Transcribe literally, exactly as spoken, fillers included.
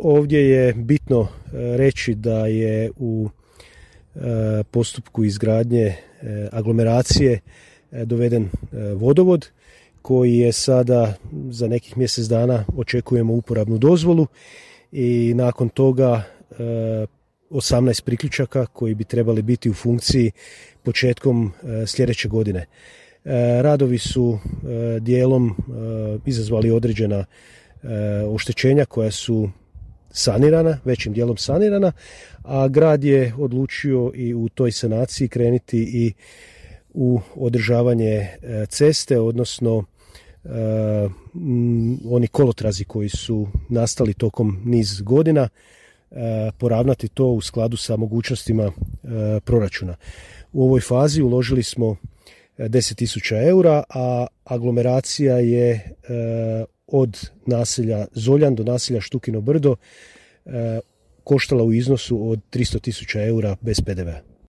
ovdje je bitno reći da je u postupku izgradnje aglomeracije doveden vodovod koji je sada za nekih mjesec dana očekujemo uporabnu dozvolu i nakon toga osamnaest priključaka koji bi trebali biti u funkciji početkom sljedeće godine. Radovi su dijelom izazvali određena oštećenja koja su sanirana, većim dijelom sanirana, a grad je odlučio i u toj sanaciji krenuti i u održavanje ceste, odnosno oni kolotrazi koji su nastali tokom niz godina, poravnati to u skladu sa mogućnostima proračuna. U ovoj fazi uložili smo deset tisuća eura, a aglomeracija je od naselja Zoljan do naselja Štukino Brdo koštala u iznosu od tristo tisuća eura bez pe de vea.